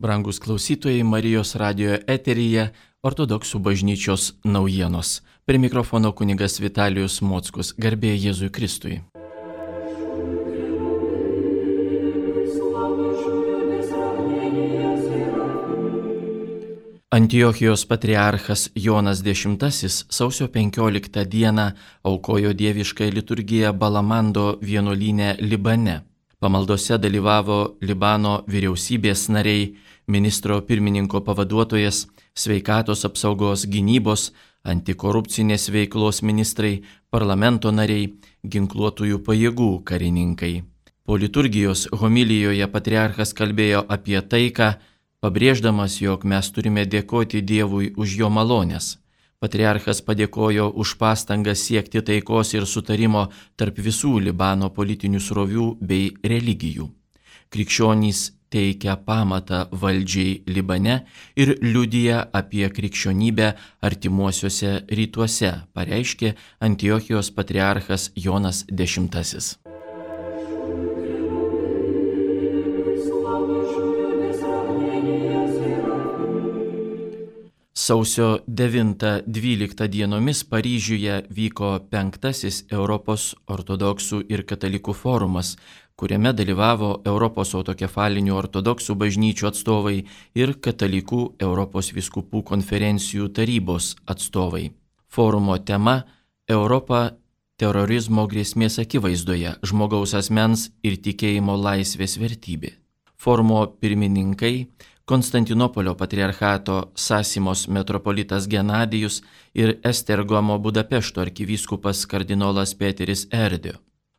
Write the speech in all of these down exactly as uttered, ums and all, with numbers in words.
Brangus klausytojai, Marijos radijo eteryje Ortodoksų bažnyčios naujienos. Prie mikrofono kunigas Vitalijus Mockus. Garbė Jėzui Kristui. Antiochijos patriarchas Jonas X sausio penkioliktą dieną aukojo dieviškąją liturgiją Balamando vienuolyne Libane. Pamaldose dalyvavo Libano vyriausybės nariai, ministro pirmininko pavaduotojas, sveikatos apsaugos gynybos, antikorupcinės veiklos ministrai, parlamento nariai, ginkluotųjų pajėgų karininkai. Po liturgijos homilijoje patriarchas kalbėjo apie taiką, pabrėždamas, jog mes turime dėkoti Dievui už jo malonės. Patriarchas padėkojo už pastangą siekti taikos ir sutarimo tarp visų Libano politinių srovių bei religijų. Krikščionys teikia pamatą valdžiai Libane ir liudija apie krikščionybę artimuosiuose rytuose, pareiškė Antiochijos patriarchas Jonas X. Sausio devintą dvyliktą dienomis Paryžiuje vyko penktasis Europos ortodoksų ir katalikų forumas, kuriame dalyvavo Europos autokefalinių ortodoksų bažnyčių atstovai ir katalikų Europos vyskupų konferencijų tarybos atstovai. Forumo tema – Europa terorizmo grėsmės akivaizdoje, žmogaus asmens ir tikėjimo laisvės vertybė. Forumo pirmininkai – Konstantinopolio patriarchato Sasimos metropolitas Genadijus ir Estergomo Budapešto arkivyskupas kardinolas Peteris Erdő.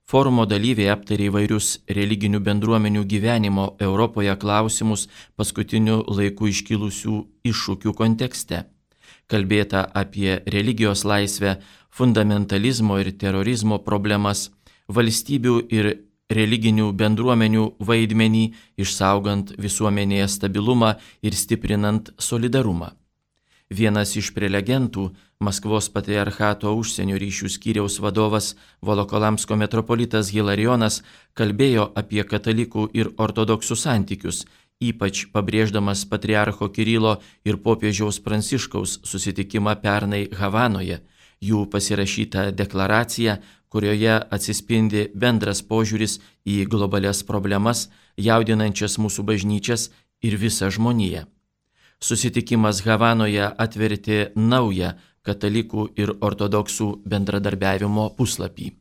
Forumo dalyviai aptarė įvairius religinių bendruomenių gyvenimo Europoje klausimus paskutiniu laiku iškilusių iššūkių kontekste. Kalbėta apie religijos laisvę, fundamentalizmo ir terorizmo problemas, valstybių ir religinių bendruomenių vaidmenį, išsaugant visuomenėje stabilumą ir stiprinant solidarumą. Vienas iš prelegentų, Maskvos patriarchato užsienio ryšių skyriaus vadovas Volokolamsko metropolitas Hilarijonas, kalbėjo apie katalikų ir ortodoksų santykius, ypač pabrėždamas patriarcho Kirilo ir popiežiaus Pranciškaus susitikimą pernai Havanoje, jų pasirašytą deklaraciją, kurioje atsispindi bendras požiūris į globalias problemas, jaudinančias mūsų bažnyčias ir visą žmoniją. Susitikimas Havanoje atvertė naują katalikų ir ortodoksų bendradarbiavimo puslapį.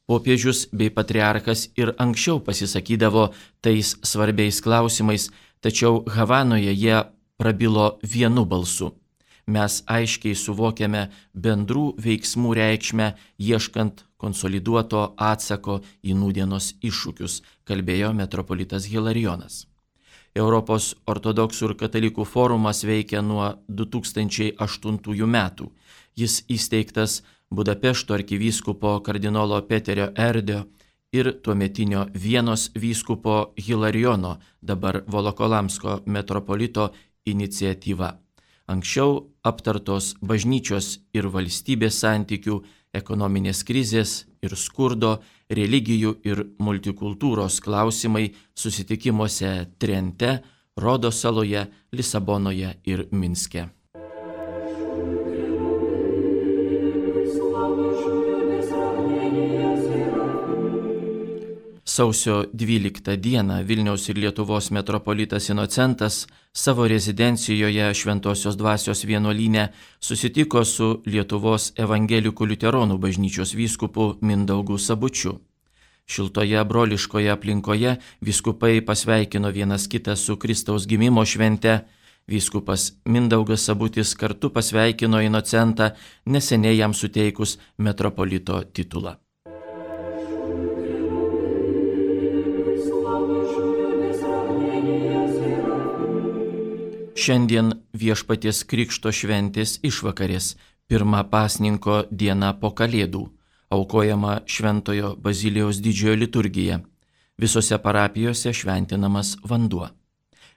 Popiežius bei patriarchas ir anksčiau pasisakydavo tais svarbiais klausimais, tačiau Havanoje jie prabilo vienu balsu. Mes aiškiai suvokiame bendrų veiksmų reikšmę, ieškant konsoliduoto atsako į nūdienos iššūkius, kalbėjo metropolitas Hilarijonas. Europos ortodoksų ir katalikų forumas veikia nuo du tūkstančiai aštuntųjų metų. Jis įsteigtas Budapešto arkivyskupo kardinolo Peterio Erdő ir tuometinio Vienos vyskupo Hilarijono, dabar Volokolamsko metropolito iniciatyva. Anksčiau aptartos bažnyčios ir valstybės santykių, ekonominės krizės ir skurdo, religijų ir multikultūros klausimai susitikimuose Trente, Rodo saloje, Lisabonoje ir Minske. Sausio dvyliktą dieną Vilniaus ir Lietuvos metropolitas Inocentas savo rezidencijoje Šventosios dvasios vienuolyne susitiko su Lietuvos evangelikų liuteronų bažnyčios vyskupu Mindaugu Sabučiu. Šiltoje broliškoje aplinkoje vyskupai pasveikino vienas kitą su Kristaus gimimo švente. Vyskupas Mindaugas Sabutis kartu pasveikino Inocentą, neseniai jam suteikus metropolito titulą. Šiandien Viešpaties Krikšto šventės išvakarės, pirma pasninko diena po Kalėdų, aukojama Šventojo Bazilijaus didžiojo liturgija. Visose parapijose šventinamas vanduo.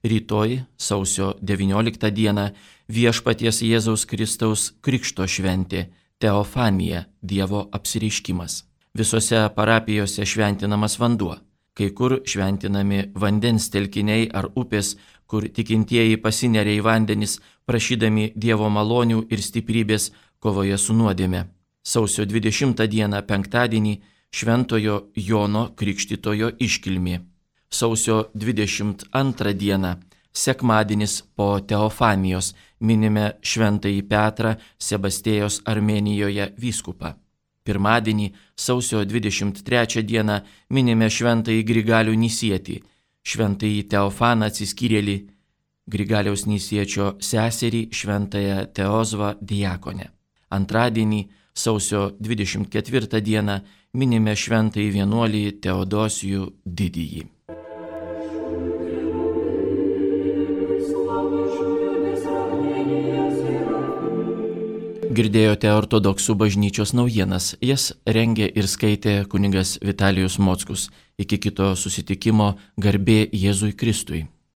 Rytoj, sausio devynioliktą dieną, Viešpaties Jėzaus Kristaus Krikšto šventė, Teofanija, Dievo apsireiškimas. Visose parapijose šventinamas vanduo. kai kur šventinami vandens telkiniai ar upės, kur tikintieji pasineria į vandenis, prašydami Dievo malonių ir stiprybės kovoje su nuodėme. Sausio dvidešimtą dieną penktadienį Šventojo Jono Krikštytojo iškilmė. Sausio dvidešimt antrą dieną sekmadienis po Teofanijos minime Šventąjį Petrą Sebastėjos Armėnijoje vyskupą. Pirmadienį sausio dvidešimt trečią dieną minime Šventąjį Grigalių Nisietį, Šventąjį Teofaną Atsiskyrėlį, Grigaliaus Nisiečio seserį Šventąją Teozvą diakonę. Antradienį sausio dvidešimt ketvirtą dieną minime Šventąjį vienuolį Teodosijų Didįjį. Girdėjote ortodoksų bažnyčios naujienas, jas rengė ir skaitė kunigas Vitalijus Mockus. Iki kito susitikimo, garbė Jėzui Kristui.